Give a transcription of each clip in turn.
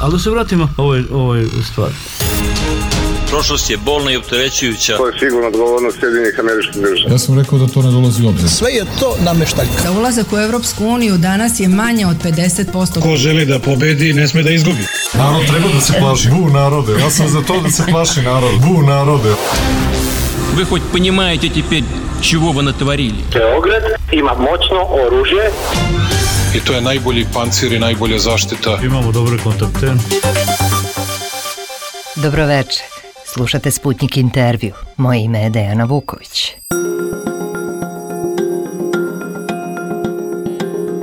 Ali da se vratimo ovoj stvari. Prošlost je bolna i opterećujuća. To je sigurno odgovornost Sjedinjenih Američkih Država. Ja sam rekao da to ne dolazi u obzir. Sve je to nameštaljka. Da ulazak u Evropsku uniju danas je manje od 50%. Ko želi da pobedi, ne sme da izgubi. Narod treba da se plaši. Bu narode. Ja sam za to da se plaši narod. Bu narode. Вы хоть понимаете теперь, чего вы натворили? Beograd ima moćno oružje. I to je najbolji pancir i najbolja zaštita. Imamo dobre kontakte. Dobroveče. Slušate Sputnik intervju. Moje ime je Dejana Vuković.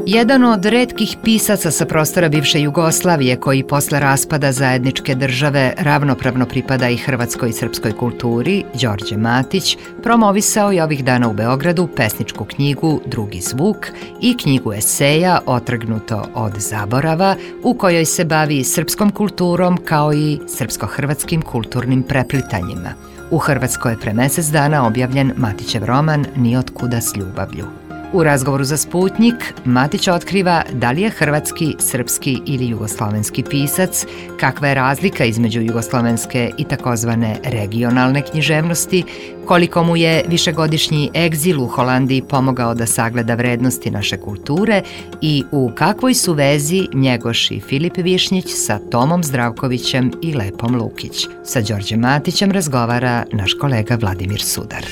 Jedan od retkih pisaca sa prostora bivše Jugoslavije koji posle raspada zajedničke države ravnopravno pripada i hrvatskoj i srpskoj kulturi, Đorđe Matić, promovisao je ovih dana u Beogradu pesničku knjigu Drugi zvuk i knjigu eseja Otrgnuto od zaborava, u kojoj se bavi srpskom kulturom kao i srpsko-hrvatskim kulturnim preplitanjima. U Hrvatskoj je pre mesec dana objavljen Matićev roman Ni otkuda s ljubavlju. U razgovoru za Sputnik, Matić otkriva da li je hrvatski, srpski ili jugoslovenski pisac, kakva je razlika između jugoslovenske i takozvane regionalne književnosti, koliko mu je višegodišnji egzil u Holandiji pomogao da sagleda vrednosti naše kulture i u kakvoj su vezi Njegoš i Filip Višnjić sa Tomom Zdravkovićem i Lepom Lukić. Sa Đorđem Matićem razgovara naš kolega Vladimir Sudar.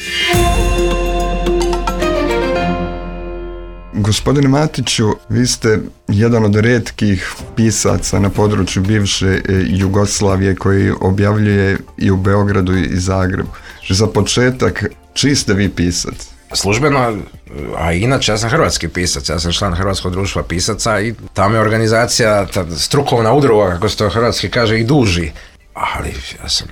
Gospodine Matiću, vi ste jedan od retkih pisaca na području bivše Jugoslavije koji objavljuje i u Beogradu i Zagrebu. Za početak, čiji ste vi pisac? Službeno, a inače ja sam hrvatski pisac, ja sam član Hrvatskog društva pisaca i tamo je organizacija, ta strukovna udruga, kako se to hrvatski kaže, i duži. Ali ja sam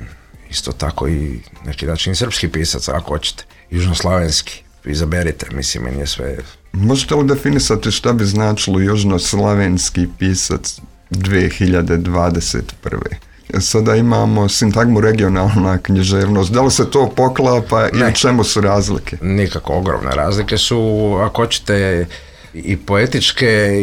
isto tako i neki način srpski pisac, ako hoćete, južnoslavenski. Izaberite, mislim, meni je sve... Možete li definisati šta bi značilo južnoslavenski pisac 2021. Sada imamo sintagmu regionalna književnost. Da li se to poklapa i u čemu su razlike? Nikako, ogromne razlike su, ako hoćete, i poetičke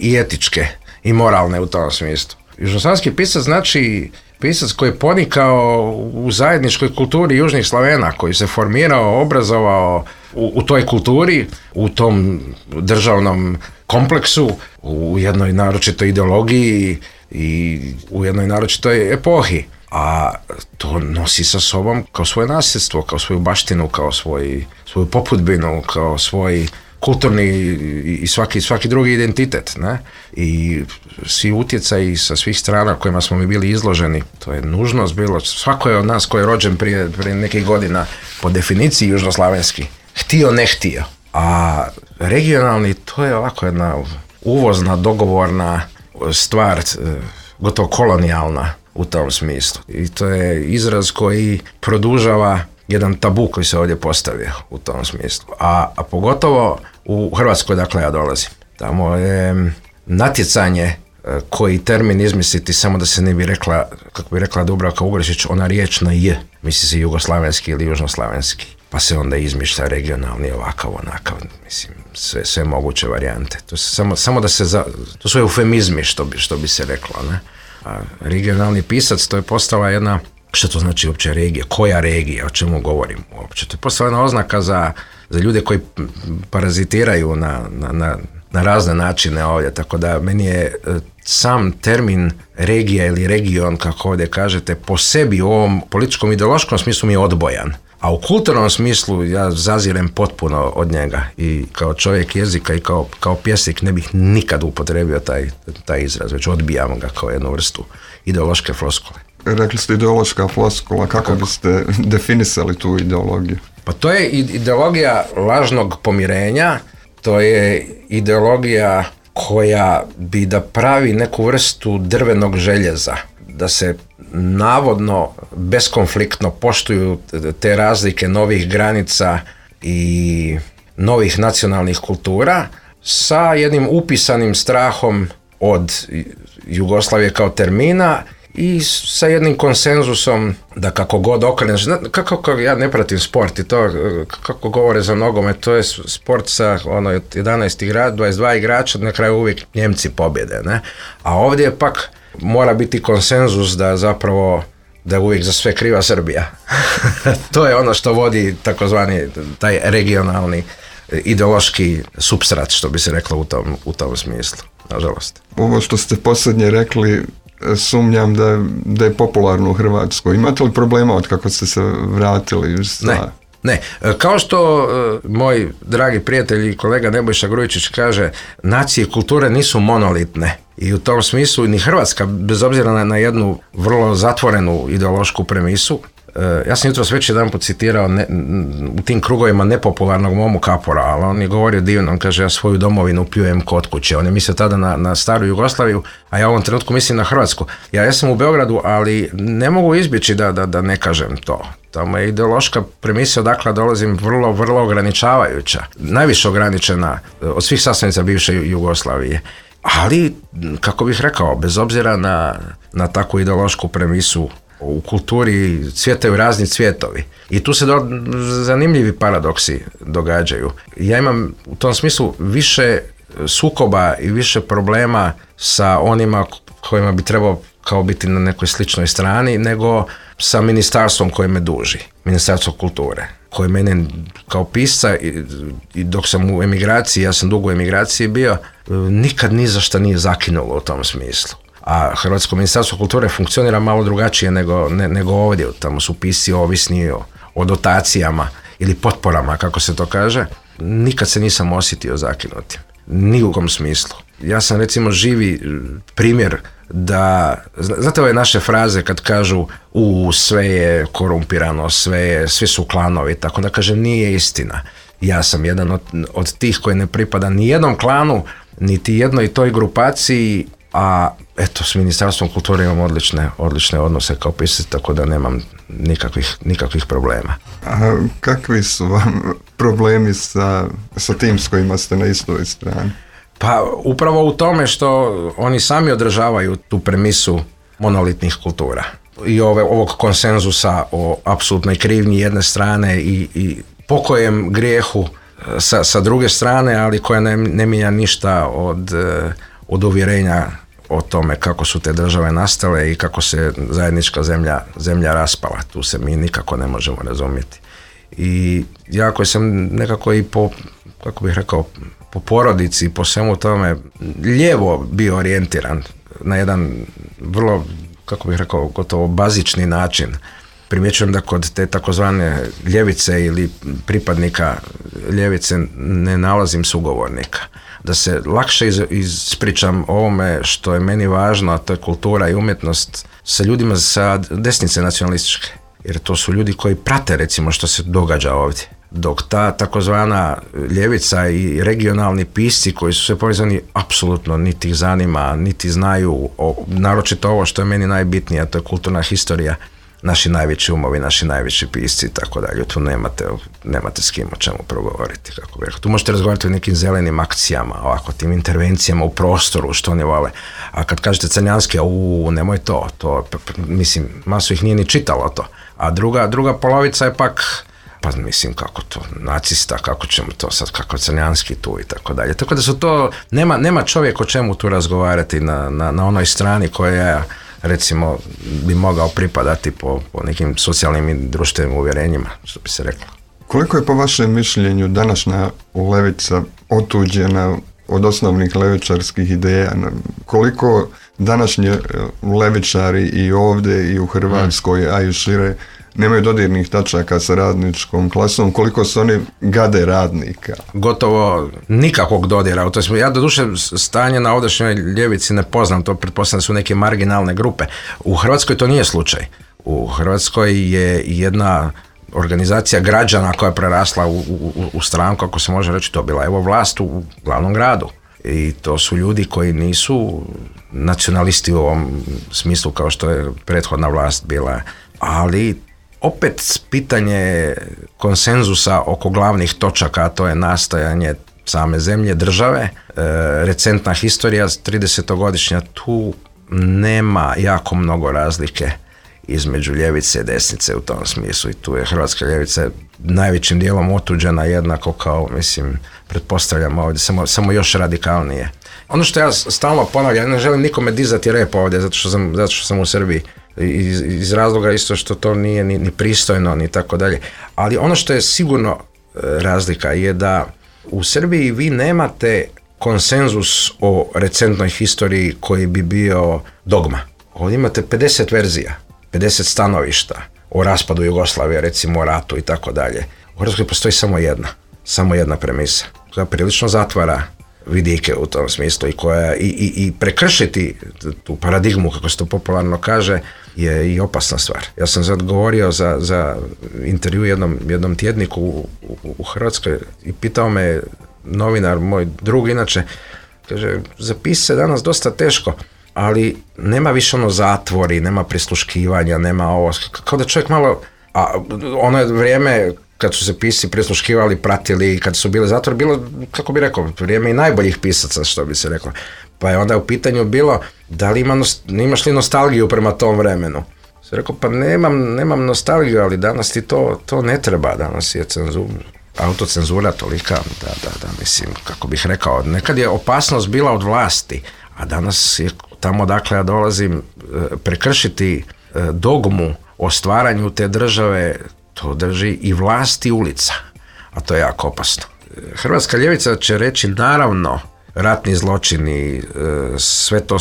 i etičke i moralne u tom smislu. Južnoslavenski pisac znači pisac koji je ponikao u zajedničkoj kulturi južnih Slavena, koji se formirao, obrazovao u toj kulturi, u tom državnom kompleksu, u jednoj naročitoj ideologiji i u jednoj naročitoj epohi. A to nosi sa sobom kao svoje nasljedstvo, kao svoju baštinu, kao svoju popudbinu, kao svoj kulturni i svaki drugi identitet, ne? I svi utjecaji sa svih strana kojima smo mi bili izloženi, to je nužnost bilo. Svako je od nas koji je rođen prije nekih godina po definiciji južnoslavenski, htio ne htio. A regionalni, to je ovako jedna uvozna, dogovorna stvar, gotovo kolonijalna u tom smislu. I to je izraz koji produžava jedan tabu koji se ovdje postavio u tom smislu. A pogotovo u Hrvatskoj, dakle ja dolazim. Tamo je natjecanje koji termin izmisliti samo da se ne bi rekla, kako bi rekla Dubravka Ugrešić, ona riječ na j, misli se jugoslavenski ili južnoslavenski. Pa se onda izmišlja regionalni, ovakav, onakav, mislim, sve moguće varijante. To samo da se, to su eufemizmi, što bi se reklo, ne? A regionalni pisac, to je postala jedna, što to znači uopće regija, koja regija, o čemu govorim uopće. To je postala jedna oznaka za ljude koji parazitiraju na razne načine ovdje, tako da meni je sam termin regija ili region, kako ovdje kažete, po sebi u ovom političkom ideološkom smislu mi je odbojan. A u kulturnom smislu ja zazirem potpuno od njega i kao čovjek jezika i kao pjesnik ne bih nikad upotrebio taj izraz, već odbijam ga kao jednu vrstu ideološke floskule. Rekli ste ideološka floskula, kako biste definisali tu ideologiju? Pa to je ideologija lažnog pomirenja, to je ideologija koja bi da pravi neku vrstu drvenog željeza, da se navodno beskonfliktno poštuju te razlike novih granica i novih nacionalnih kultura sa jednim upisanim strahom od Jugoslavije kao termina i sa jednim konsenzusom da kako god okreneš, kako ja ne pratim sport i to kako govore za nogomet, to je sport sa 11 igrača, 22 igrača, na kraju uvijek Njemci pobjede, ne? A ovdje pak mora biti konsenzus da zapravo da je uvijek za sve kriva Srbija. To je ono što vodi takozvani taj regionalni ideološki supstrat, što bi se reklo u tom smislu, nažalost. Ovo što ste posljednje rekli, sumnjam da je popularno u Hrvatskoj. Imate li problema od kako ste se vratili? Ne. Kao što moj dragi prijatelj i kolega Nebojša Grujičić kaže, nacije i kulture nisu monolitne. I u tom smislu ni Hrvatska, bez obzira na jednu vrlo zatvorenu ideološku premisu, ja sam jutros već jedan put citirao u tim krugovima nepopularnog Momu Kapora, ali on je govorio divno, on kaže, ja svoju domovinu pljujem kod kuće. On je mislio tada na staru Jugoslaviju, a ja u ovom trenutku mislim na Hrvatsku. Ja sam u Beogradu, ali ne mogu izbjeći da ne kažem to. Tamo je ideološka premisa odakle dolazim vrlo, vrlo ograničavajuća. Najviše ograničena od svih sastavnica bivše Jugoslavije. Ali, kako bih rekao, bez obzira na takvu ideološku premisu, u kulturi cvjetaju razni cvjetovi. I tu se zanimljivi paradoksi događaju. Ja imam u tom smislu više sukoba i više problema sa onima kojima bi trebao kao biti na nekoj sličnoj strani, nego sa ministarstvom koje me duži, Ministarstvo kulture, koje mene kao pisca i dok sam u emigraciji, ja sam dugo u emigraciji bio, nikad ni za šta nije zakinulo u tom smislu. A Hrvatsko ministarstvo kulture funkcionira malo drugačije nego ovdje. Tamo su pisci ovisni o dotacijama ili potporama, kako se to kaže. Nikad se nisam osjetio zakinutim. Ni u kom smislu. Ja sam recimo živi primjer da, znate ove naše fraze kad kažu sve je korumpirano, svi su klanovi, tako da kažem nije istina. Ja sam jedan od tih koji ne pripada ni jednom klanu, niti jednoj toj grupaciji, a eto, s Ministarstvom kulture imam odlične odnose kao pisac, tako da nemam nikakvih problema. A kakvi su vam problemi sa tim s kojima ste na istoj strani? Pa upravo u tome što oni sami održavaju tu premisu monolitnih kultura i ovog konsenzusa o apsolutnoj krivnji jedne strane i pokojem grijehu sa druge strane, ali koja ne mijenja ništa od uvjerenja o tome kako su te države nastale i kako se zajednička zemlja raspala. Tu se mi nikako ne možemo razumjeti. I ja koji sam nekako i po porodici i po svemu tome lijevo bio orijentiran na jedan vrlo, gotovo bazični način. Primjećujem da kod te takozvane ljevice ili pripadnika ljevice ne nalazim sugovornika. Da se lakše ispričam ovome što je meni važno, a to je kultura i umjetnost, sa ljudima sa desnice nacionalističke. Jer to su ljudi koji prate recimo što se događa ovdje. Dok ta takozvana ljevica i regionalni pisci koji su sve povezani apsolutno niti ih zanima, niti znaju, naročito ovo što je meni najbitnije, a to je kulturna historija, naši najveći umovi, naši najveći pisci i tako dalje. Tu nemate s kim o čemu progovoriti. Kako bih rekao. Tu možete razgovarati o nekim zelenim akcijama, ovako, tim intervencijama u prostoru, što oni vole. A kad kažete Crnjanski, nemoj to, mislim, masu ih nije ni čitalo to. A druga polovica je pak, pa mislim, kako to, nacista, kako ćemo to sad, kako Crnjanski tu i tako dalje. Tako da su to, nema čovjek o čemu tu razgovarati na onoj strani koja recimo bi mogao pripadati po nekim socijalnim i društvenim uvjerenjima, što bi se reklo. Koliko je po vašem mišljenju današnja levica otuđena od osnovnih levičarskih ideja? Koliko današnji levičari i ovdje i u Hrvatskoj, a i šire, nemaju dodirnih tačaka sa radničkom klasom, koliko su oni gade radnika? Gotovo nikakvog dodira. Ja doduše stanje na ovdašnjoj ljevici ne poznam, to pretpostavljam da su neke marginalne grupe. U Hrvatskoj to nije slučaj. U Hrvatskoj je jedna organizacija građana koja je prerasla u stranku, ako se može reći, to bila evo vlast u glavnom gradu. I to su ljudi koji nisu nacionalisti u ovom smislu kao što je prethodna vlast bila, ali opet pitanje konsenzusa oko glavnih točaka, a to je nastajanje same zemlje, države, recentna historija, 30-godišnja, tu nema jako mnogo razlike između ljevice i desnice u tom smislu i tu je hrvatska ljevica najvećim dijelom otuđena jednako kao, mislim, pretpostavljam ovdje, samo još radikalnije. Ono što ja stalno ponavljam, ne želim nikome dizati rep ovdje zato što sam u Srbiji, iz razloga isto što to nije ni pristojno ni tako dalje, ali ono što je sigurno razlika je da u Srbiji vi nemate konsenzus o recentnoj historiji koji bi bio dogma. Ovdje imate 50 verzija, 50 stanovišta o raspadu Jugoslavije, recimo o ratu i tako dalje. U Hrvatskoj postoji samo jedna premisa koja prilično zatvara vidike u tom smislu i koja i prekršiti tu paradigmu, kako se to popularno kaže, je i opasna stvar. Ja sam sad govorio za intervju jednom tjedniku u Hrvatskoj i pitao me novinar, moj drug inače, kaže, zapisati se danas dosta teško, ali nema više zatvori, nema prisluškivanja, nema ovo, kao da čovjek malo, a ono je vrijeme kad su se pisci prisluškivali, pratili, kad su bili zatvori, bilo, kako bi rekao, vrijeme i najboljih pisaca, što bi se reklo. Pa je onda u pitanju bilo, da li imaš li nostalgiju prema tom vremenu? Se rekao, pa nemam nostalgiju, ali danas ti to ne treba, danas je autocenzura tolika, da, mislim, kako bih rekao, nekad je opasnost bila od vlasti, a danas je tamo dakle ja dolazim prekršiti dogmu o stvaranju te države, to drži i vlast i ulica, a to je jako opasno. Hrvatska ljevica će reći naravno ratni zločini, sve to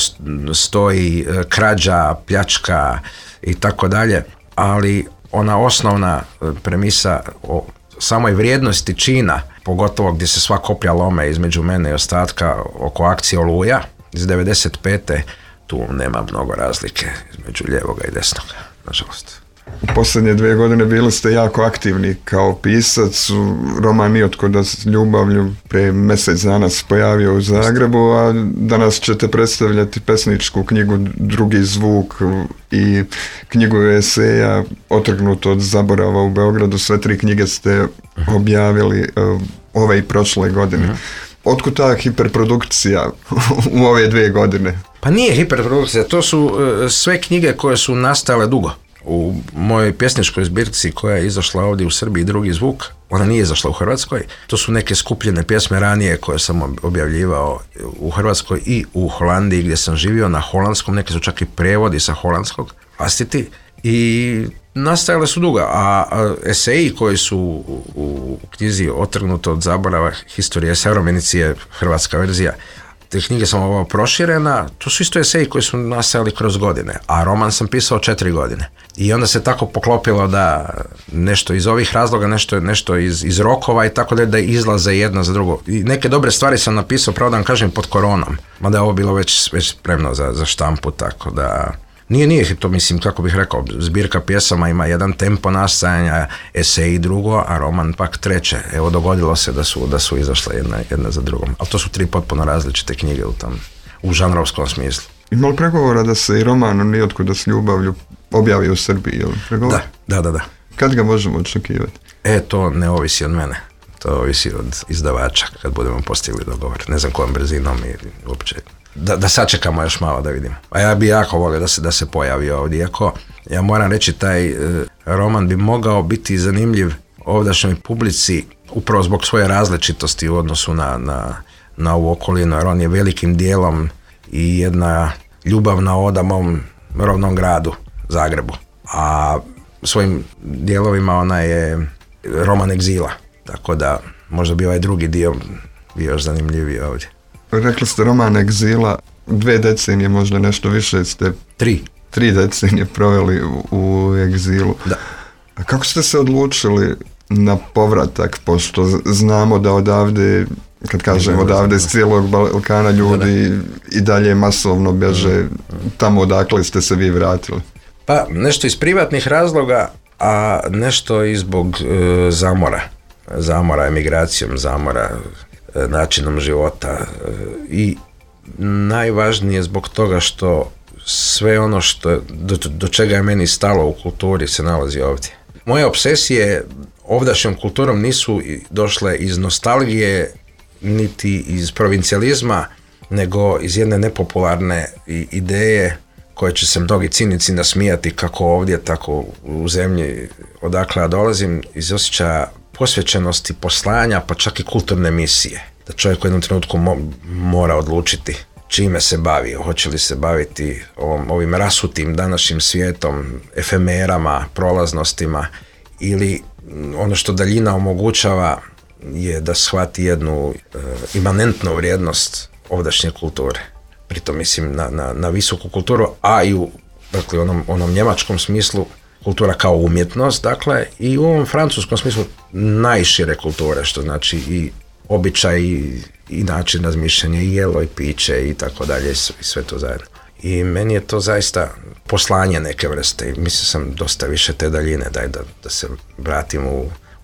stoji, krađa, pljačka i tako dalje, ali ona osnovna premisa o samoj vrijednosti čina, pogotovo gdje se sva koplja lome između mene i ostatka oko akcije Oluja iz 95. tu nema mnogo razlike između lijevoga i desnoga, nažalost. U posljednje 2 godine bili ste jako aktivni kao pisac. Roman Niotkuda s ljubavlju pre mjesec dana se pojavio u Zagrebu, a danas ćete predstavljati pesničku knjigu Drugi zvuk i knjigu eseja Otrgnuto od zaborava u Beogradu. Sve 3 knjige ste objavili ove i prošle godine. Otkud ta hiperprodukcija u ove 2 godine? Pa nije hiperprodukcija, to su sve knjige koje su nastale dugo. U mojoj pjesničkoj zbirci koja je izašla ovdje u Srbiji, Drugi zvuk, ona nije izašla u Hrvatskoj. To su neke skupljene pjesme ranije koje sam objavljivao u Hrvatskoj i u Holandiji gdje sam živio na holandskom, neke su čak i prevodi sa holandskog vlastiti i nastajale su dugo, a eseji koji su u knjizi Otrgnuto od zaborava, Historije Savremenicije, hrvatska verzija, te knjige sam ovo proširena, to su isto eseji koji su nastajali kroz godine, a roman sam pisao 4 godine. I onda se tako poklopilo da nešto iz ovih razloga, nešto iz rokova i tako da izlaze jedno za drugo. I neke dobre stvari sam napisao, pravo da vam kažem, pod koronom, mada je ovo bilo već spremno za štampu, tako da... Nije to, mislim, kako bih rekao, zbirka pjesama ima jedan tempo nastajanja, eseji drugo, a roman pak treće. Evo, dogodilo se da su izašle jedna za drugom. Ali to su 3 potpuno različite knjige u žanrovskom smislu. Ima li pregovora da se i roman Niotkuda s ljubavlju objavi u Srbiji? Je li pregovor? Da. Kad ga možemo očekivati? To ne ovisi od mene. To ovisi od izdavača kad budemo postigli dogovor. Ne znam kojom brzinom i uopće... Da sačekamo još malo da vidimo. A ja bi jako volio da se pojavi ovdje. Iako ja moram reći, taj roman bi mogao biti zanimljiv ovdašnjoj publici upravo zbog svoje različitosti u odnosu na ovu okolinu, jer on je velikim dijelom i jedna ljubavna oda mom rodnom gradu, Zagrebu. A svojim dijelovima ona je roman egzila. Tako da možda bi ovaj drugi dio bio još zanimljiviji ovdje. Rekli ste roman egzila, 2 decenije, možda nešto više ste... 3 decenije proveli u egzilu. Da. A kako ste se odlučili na povratak, pošto znamo da odavde, kad kažem odavde, s cijelog Balkana ljudi i dalje masovno bježe tamo odakle ste se vi vratili? Pa nešto iz privatnih razloga, a nešto i zbog zamora emigracijom, zamora načinom života i najvažnije zbog toga što sve ono što do čega je meni stalo u kulturi se nalazi ovdje. Moje obsesije ovdašnjom kulturom nisu došle iz nostalgije niti iz provincijalizma, nego iz jedne nepopularne ideje koje će se mnogi cinici nasmijati kako ovdje, tako u zemlji odakle ja dolazim, iz osjećaja posvećenosti, poslanja, pa čak i kulturne misije. Da čovjek u jednom trenutku mora odlučiti čime se bavi, hoće li se baviti ovim rasutim današnjim svijetom, efemerama, prolaznostima, ili ono što daljina omogućava je da shvati jednu imanentnu vrijednost ovdašnje kulture. Pritom mislim na visoku kulturu, a i u onom njemačkom smislu kultura kao umjetnost, dakle, i u ovom francuskom smislu najšire kulture, što znači i običaj i način razmišljanja, i jelo i piće i tako dalje, i sve to zajedno. I meni je to zaista poslanje neke vrste i mislim sam dosta više te daljine, da se vratim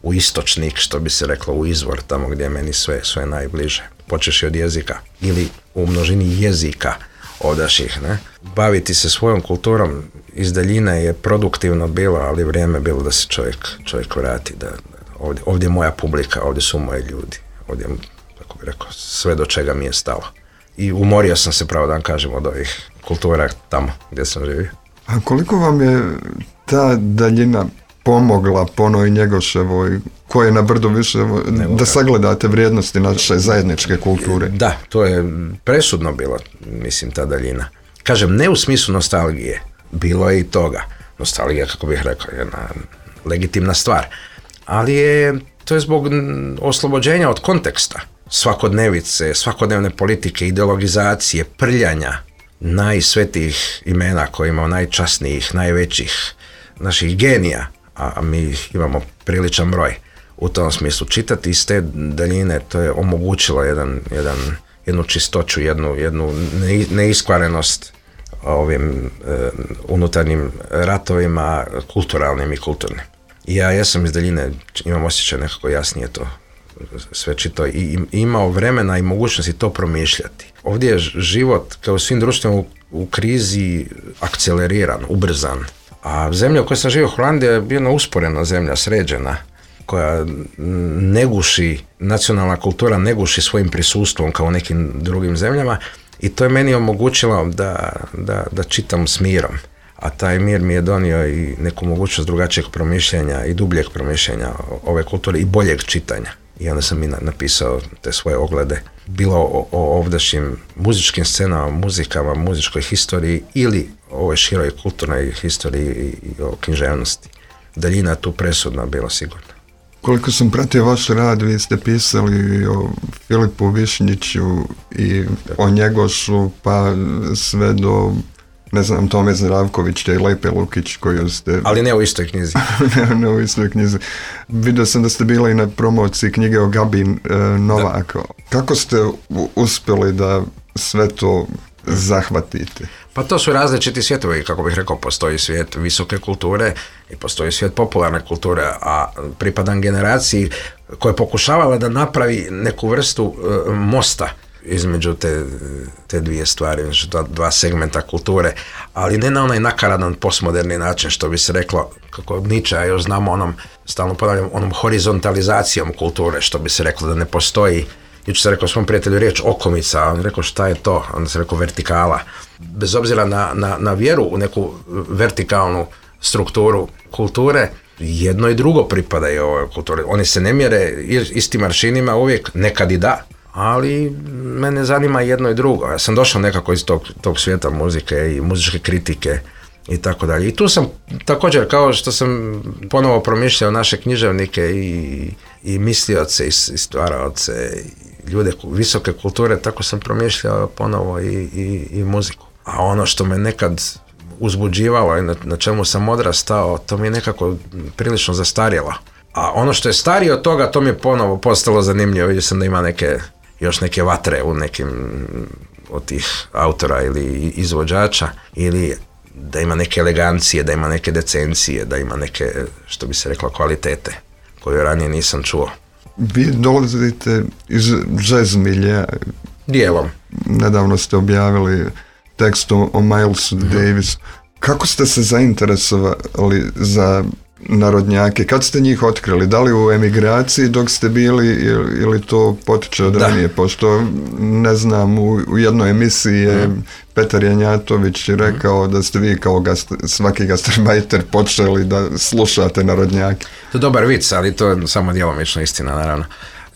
u istočnik, što bi se reklo, u izvor, tamo gdje je meni sve najbliže. Počeši od jezika ili u množini jezika ovdašnjih, ne? Baviti se svojom kulturom iz daljine je produktivno bilo, ali vrijeme bilo da se čovjek vrati, da ovdje je moja publika, ovdje su moji ljudi, ovdje, tako bi rekao, sve do čega mi je stalo. I umorio sam se, pravo da vam kažem, od ovih kultura tamo gdje sam živio. A koliko vam je ta daljina pomogla po onoj Njegoševoj, koja je na brdu više, da sagledate vrijednosti naše zajedničke kulture? Da, to je presudno bilo, mislim, ta daljina. Kažem, ne u smislu nostalgije, bilo je i toga. Nostalgija, kako bih rekao, je jedna legitimna stvar. Ali to je zbog oslobođenja od konteksta. Svakodnevice, svakodnevne politike, ideologizacije, prljanja najsvetijih imena koje imamo, najčasnijih, najvećih naših genija, a mi imamo priličan broj. U tom smislu čitati iz te daljine, to je omogućilo jednu čistoću, jednu neiskvarenost ovim unutarnjim ratovima, kulturalnim i kulturnim. I ja jesam iz daljine, imam osjećaj nekako jasnije to sve čito i imao vremena i mogućnosti to promišljati. Ovdje je život, kao u svim društvima, u krizi akceleriran, ubrzan. A zemlja u kojoj sam živio, Holandija, je jedna usporena zemlja, sređena, koja ne guši, nacionalna kultura ne guši svojim prisustvom kao u nekim drugim zemljama, i to je meni omogućilo da čitam s mirom. A taj mir mi je donio i neku mogućnost drugačijeg promišljanja i dubljeg promišljanja ove kulture i boljeg čitanja. I onda sam i napisao te svoje oglede, bilo o ovdašnjim muzičkim scenama, muzikama, muzičkoj historiji ili o ovoj široj kulturnoj historiji i o književnosti. Daljina je tu presudna bila sigurno. Koliko sam pratio vaš rad, vi ste pisali o Filipu Višnjiću i o Njegošu, pa sve do, ne znam, Tome Zdravkovića i Lepe Lukić koju ste... Ali ne u istoj knjizi. ne u istoj knjizi. Vidio sam da ste bili na promociji knjige o Gabi Novak. Kako ste uspjeli da sve to zahvatite? Pa to su različiti svjetovi, kako bih rekao, postoji svijet visoke kulture i postoji svijet popularne kulture, a pripadam generaciji koja je pokušavala da napravi neku vrstu mosta između te dvije stvari, dva segmenta kulture, ali ne na onaj nakaradan postmoderni način, što bi se reklo, kako Nietzsche, još znamo stalno ponavljam, onom horizontalizacijom kulture, što bi se reklo da ne postoji. Jučer sam rekao svom prijatelju riječ okomica, a on rekao šta je to, onda sam rekao vertikala. Bez obzira na vjeru u neku vertikalnu strukturu kulture, jedno i drugo pripadaju ovoj kulturi. Oni se ne mjere istim aršinima uvijek, nekad i da, ali mene zanima jedno i drugo. Ja sam došao nekako iz tog svijeta muzike i muzičke kritike i tako dalje. I tu sam također, kao što sam ponovo promišljao naše književnike i mislioce i stvaraoce, ljude visoke kulture, tako sam promišljao ponovo i muziku. A ono što me nekad uzbuđivalo i na čemu sam odrastao, to mi je nekako prilično zastarjelo. A ono što je starije od toga, to mi je ponovo postalo zanimljivo. Vidio sam da ima još neke vatre u nekim od tih autora ili izvođača, ili da ima neke elegancije, da ima neke decencije, da ima neke, što bi se reklo, kvalitete koju ranije nisam čuo. Vi dolazite iz jazz miljea. Dijelom. Nedavno ste objavili tekst o Milesu Davisu. Kako ste se zainteresovali za narodnjake. Kad ste njih otkrili? Da li u emigraciji dok ste bili ili to potiče od ranije? Pošto, ne znam, u jednoj emisiji je Petar Janjatović rekao da ste vi kao svaki gastarbajter počeli da slušate narodnjake. To je dobar vic, ali to je samo djelomično istina, naravno.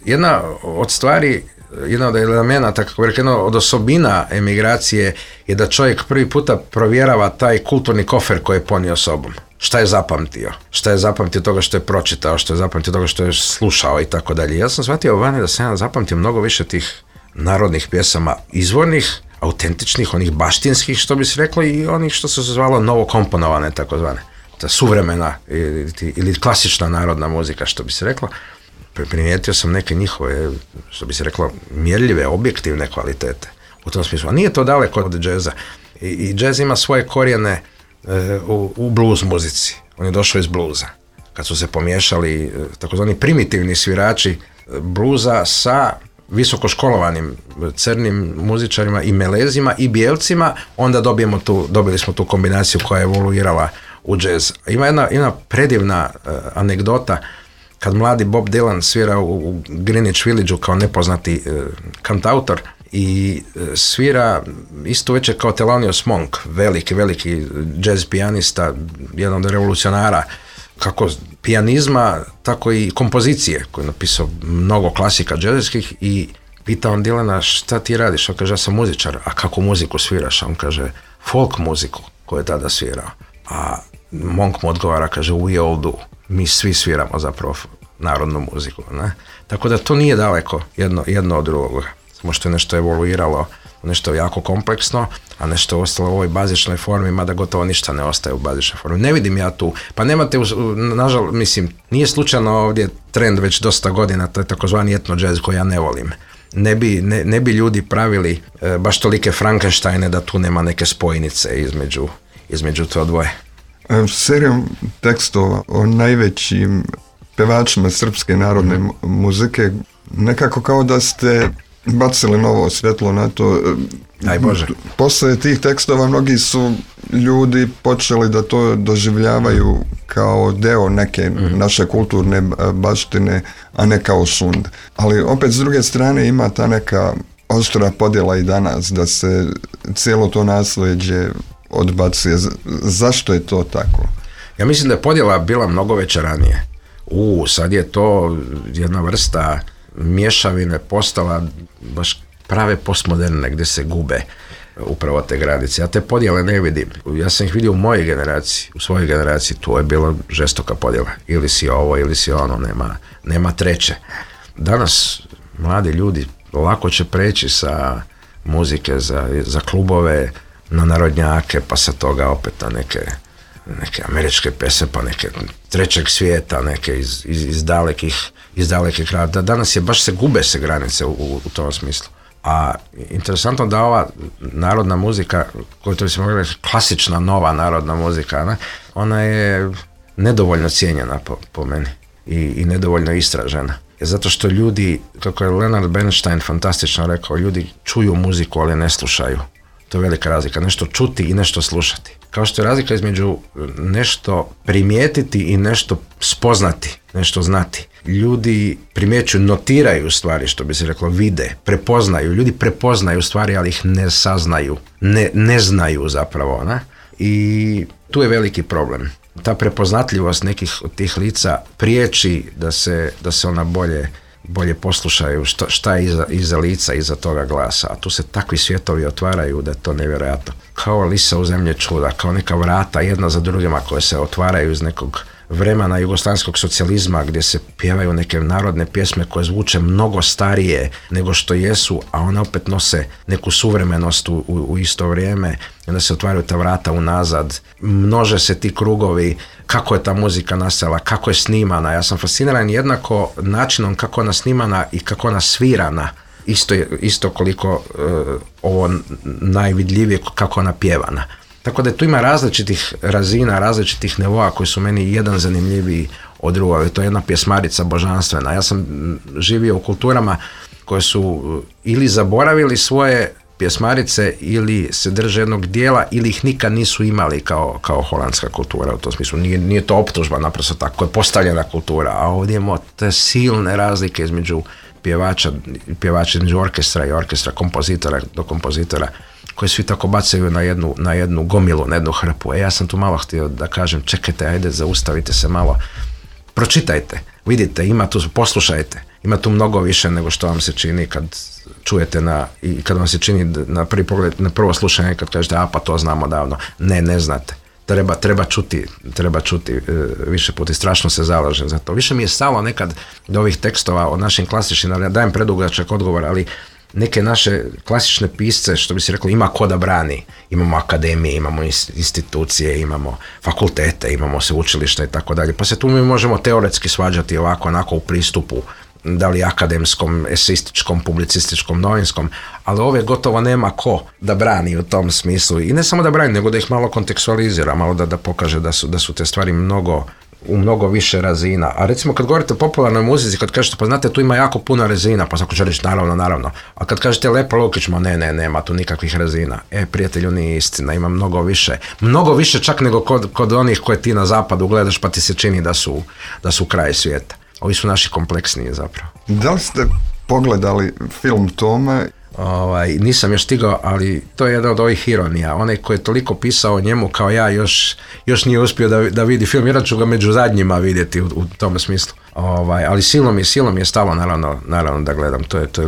Jedna od stvari, jedna od elemenata, kako bih rekao, jedna od osobina emigracije je da čovjek prvi puta provjerava taj kulturni kofer koji je ponio sobom. Šta je zapamtio? Šta je zapamtio toga što je pročitao, što je zapamtio toga što je slušao i tako dalje. Ja sam shvatio vani da sam zapamtio mnogo više tih narodnih pjesama, izvornih, autentičnih, onih baštinskih, što bi se reklo, i onih što se zvalo novokomponovane, takozvane. Ta suvremena ili klasična narodna muzika, što bi se reklo. Primijetio sam neke njihove, što bi se reklo, mjerljive, objektivne kvalitete u tom smislu. A nije to daleko od džeza. I džez ima svoje korijene u blues muzici. On je došao iz bluza. Kad su se pomiješali takozvani primitivni svirači bluza sa visokoškolovanim crnim muzičarima i melezima i bijelcima, onda dobili smo tu kombinaciju koja je evoluirala u džez. Ima jedna predivna anegdota kad mladi Bob Dylan svira u Greenwich Villageu kao nepoznati kantautor i svira isto večer kao Thelonious Monk, veliki jazz pijanista, jedan od revolucionara kako pijanizma, tako i kompozicije, koji je napisao mnogo klasika džezskih, i pita on Dylana, šta ti radiš? On kaže, ja sam muzičar. A kako muziku sviraš? On kaže, folk muziku koju je tada svirao. A Monk mu odgovara, kaže, we all do. Mi svi sviramo zapravo narodnu muziku. Ne? Tako da to nije daleko jedno od drugoga. Samo što je nešto evoluiralo, nešto jako kompleksno, a nešto je ostalo u ovoj bazičnoj formi, mada gotovo ništa ne ostaje u bazičnoj formi. Ne vidim ja tu, pa nemate, nažalost, mislim, nije slučajno ovdje trend već dosta godina, to je takozvani etno jazz koji ja ne volim. Ne bi ljudi pravili baš tolike Frankensteine da tu nema neke spojnice između to dvoje. Serijom tekstova o najvećim pevačima srpske narodne muzike, nekako kao da ste bacili novo svjetlo na to. Daj Bože. Posle tih tekstova mnogi su ljudi počeli da to doživljavaju kao deo neke naše kulturne baštine, a ne kao šund. Ali opet s druge strane ima ta neka oštra podjela i danas, da se cijelo to nasljeđe odbacuje. Zašto je to tako? Ja mislim da je podjela bila mnogo veća ranije. Sad je to jedna vrsta mješavine postala baš prave postmoderne gdje se gube upravo te granice. Ja te podjele ne vidim. Ja sam ih vidio u mojoj generaciji, u svojoj generaciji tu je bila žestoka podjela. Ili si ovo, ili si ono, nema treće. Danas mladi ljudi lako će preći sa muzike za klubove na narodnjake, pa sa toga opet na neke američke pjesme, pa neke trećeg svijeta, neke iz dalekih kraja. Danas je baš gube se granice u tom smislu. A interesantno da ova narodna muzika, koju to bi se mogli reći klasična nova narodna muzika, ne? Ona je nedovoljno cijenjena po meni i nedovoljno istražena. Zato što ljudi, kako je Leonard Bernstein fantastično rekao, ljudi čuju muziku, ali ne slušaju. To je velika razlika. Nešto čuti i nešto slušati. Kao što je razlika između nešto primijetiti i nešto spoznati, nešto znati. Ljudi primjećuju, notiraju stvari, što bi se reklo, vide, prepoznaju. Ljudi prepoznaju stvari, ali ih ne saznaju. Ne znaju zapravo. Ne? I tu je veliki problem. Ta prepoznatljivost nekih od tih lica priječi da se ona bolje poslušaju šta je iza lica, iza toga glasa. A tu se takvi svjetovi otvaraju da je to nevjerojatno. Kao lisa u zemlje čuda, kao neka vrata jedna za drugima koje se otvaraju iz nekog vremena jugoslavenskog socijalizma gdje se pjevaju neke narodne pjesme koje zvuče mnogo starije nego što jesu, a one opet nose neku suvremenost u isto vrijeme. I onda se otvaraju ta vrata unazad, množe se ti krugovi, kako je ta muzika nastala, kako je snimana. Ja sam fasciniran jednako načinom kako je ona snimana i kako ona svirana. Isto koliko ovo najvidljivije kako ona pjevana. Tako da tu ima različitih razina, različitih nivoa koji su meni jedan zanimljiviji od drugog. To je jedna pjesmarica božanstvena. Ja sam živio u kulturama koje su ili zaboravili svoje pjesmarice ili se drže jednog dijela ili ih nikad nisu imali kao holandska kultura u tom smislu. Nije to optužba, naprosto tako je postavljena kultura, a ovdje imamo te silne razlike između pjevača između orkestra i orkestra, kompozitora do kompozitora, koji svi tako bacaju na jednu gomilu, na jednu hrpu. Ja sam tu malo htio da kažem, čekajte, ajde, zaustavite se malo, pročitajte, vidite, poslušajte, ima tu mnogo više nego što vam se čini kad čujete i kad vam se čini na prvi pogled, na prvo slušanje kad kažete, pa to znamo davno. Ne znate. Treba čuti više puta i strašno se zalažem za to. Više mi je stalo nekad do ovih tekstova o našim klasičnim, ali dajem predugačak odgovor, ali neke naše klasične pisce, što bi se reklo, ima ko da brani. Imamo akademije, imamo institucije, imamo fakultete, imamo sveučilišta i tako dalje. Pa se tu mi možemo teoretski svađati ovako, onako u pristupu, da li akademskom, eseističkom, publicističkom, novinskom, ali ove gotovo nema ko da brani u tom smislu. I ne samo da brani, nego da ih malo kontekstualizira, malo da pokaže da su te stvari u mnogo više razina. A recimo kad govorite o popularnoj muzici, kad kažete, pa znate, tu ima jako puno razina, pa svako će reći naravno. A kad kažete Lepo Lukić, nema tu nikakvih razina. Prijatelju, nije istina, ima mnogo više čak nego kod onih koje ti na zapadu gledaš pa ti se čini da su kraj svijeta. Ovi su naši kompleksniji zapravo. Da li ste pogledali film Tome? Nisam još stigao, ali to je jedna od ovih ironija. Onaj koji je toliko pisao o njemu kao ja još nije uspio da vidi film, jer ću ga među zadnjima vidjeti u tom smislu. Ali silom je stalo naravno da gledam. To je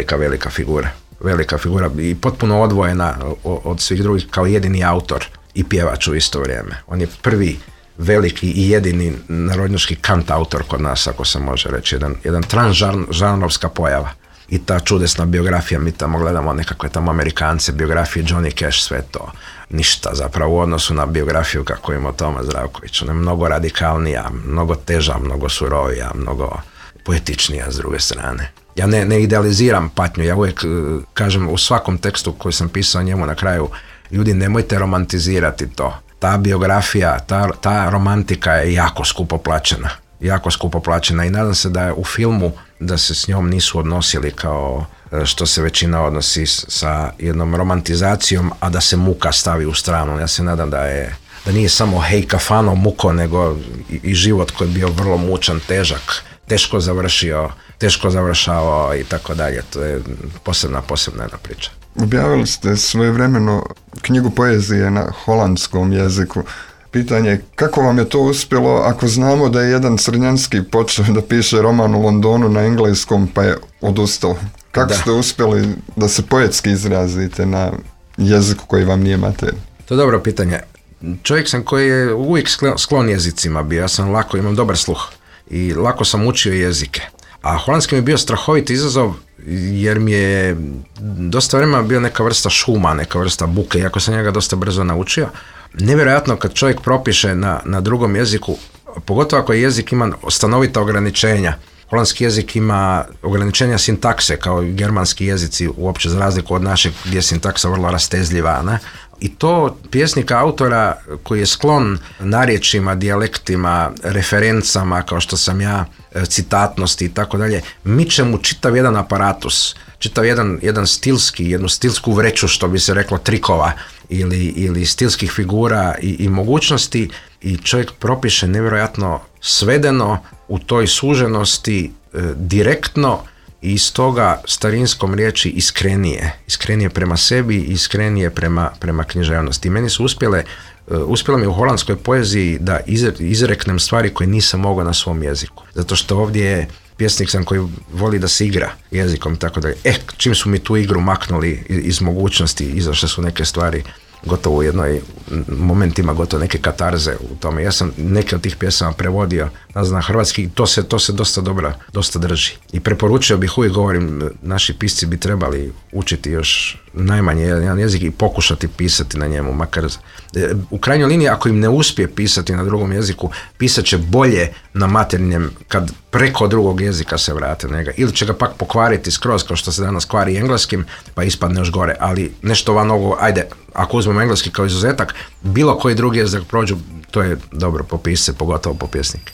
velika figura. Velika figura i potpuno odvojena od svih drugih kao jedini autor i pjevač u isto vrijeme. On je prvi veliki i jedini narodnjački kantautor kod nas, ako se može reći, jedan transžanrovska pojava. I ta čudesna biografija, mi tamo gledamo nekakve tamo Amerikance, biografije Johnny Cash, sve to ništa zapravo u odnosu na biografiju kako ima Toma Zdravković. Ona je mnogo radikalnija, mnogo teža, mnogo surovija, mnogo poetičnija s druge strane. Ja ne idealiziram patnju, ja uvijek kažem u svakom tekstu koji sam pisao njemu na kraju, ljudi, nemojte romantizirati to. Ta biografija, ta romantika je jako skupo plaćena i nadam se da je u filmu da se s njom nisu odnosili kao što se većina odnosi sa jednom romantizacijom, a da se muka stavi u stranu. Ja se nadam da nije samo hej kafano muko, nego i život koji je bio vrlo mučan, težak, teško završavao i tako dalje. To je posebna jedna priča. Objavili ste svojevremeno knjigu poezije na holandskom jeziku. Pitanje je kako vam je to uspjelo ako znamo da je jedan Crnjanski počeo da piše roman u Londonu na engleskom pa je odustao. Kako ste uspjeli da se poetski izrazite na jeziku koji vam nije materijal? To je dobro pitanje. Čovjek sam koji je uvijek sklon jezicima bio. Ja sam imam dobar sluh i lako sam učio jezike. A holandski mi je bio strahovit izazov jer mi je dosta vremena bio neka vrsta šuma, neka vrsta buke, iako sam njega dosta brzo naučio. Nevjerojatno kad čovjek propiše na drugom jeziku, pogotovo ako jezik ima stanovita ograničenja. Holandski jezik ima ograničenja sintakse kao i germanski jezici, uopće za razliku od našeg gdje je sintaksa vrlo rastezljiva, ne? I to pjesnika, autora koji je sklon narječjima, dijalektima, referencama kao što sam ja, citatnosti i tako dalje, miče mu čitav jedan aparatus, čitav jedan jednu stilsku vreću, što bi se reklo, trikova ili stilskih figura i mogućnosti, i čovjek propiše nevjerojatno svedeno u toj suženosti, direktno, i iz toga starinskom riječi iskrenije prema sebi, iskrenije prema književnosti. I meni su uspjelo mi u holandskoj poeziji da izreknem stvari koje nisam mogao na svom jeziku. Zato što ovdje je pjesnik sam koji voli da se igra jezikom i tako dalje. Čim su mi tu igru maknuli iz mogućnosti, izašle su neke stvari gotovo u jednoj momentima gotovo neke katarze u tome. Ja sam neke od tih pjesama prevodio na hrvatski i to se dosta drži. I preporučio bih, uvijek govorim, naši pisci bi trebali učiti još najmanje jedan jezik i pokušati pisati na njemu, makar u krajnjoj liniji ako im ne uspije pisati na drugom jeziku, pisat će bolje na materinjem kad preko drugog jezika se vrate na njega, ili će ga pak pokvariti skroz kao što se danas kvari engleskim, pa ispadne još gore, ali nešto van ovo, ajde, ako uzmemo engleski kao izuzetak, bilo koji drugi jezik prođu, to je dobro po pisce, pogotovo po pjesnike.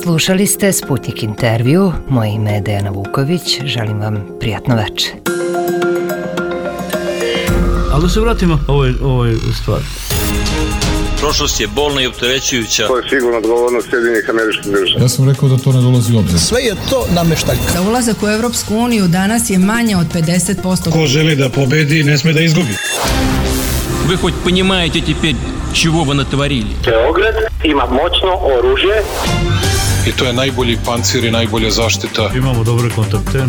Slušali ste Sputnik intervju. Moje ime je Dejana Vuković. Želim vam prijatno večer. Ali da se vratimo ovoj stvari. Prošlost je bolna i opterećujuća. To je sigurno odgovornost Sjedinjenih Američkih Država. Ja sam rekao da to ne dolazi u obzir. Sve je to nameštaljka. Za ulazak u Europsku uniju danas je manje od 50%. Ko želi da pobedi, ne sme da izgubi. Вы хоть понимаете теперь, чего вы натворили? Beograd ima moćno oružje. I to je najbolji pancir i najbolja zaštita. Imamo dobre kontakte.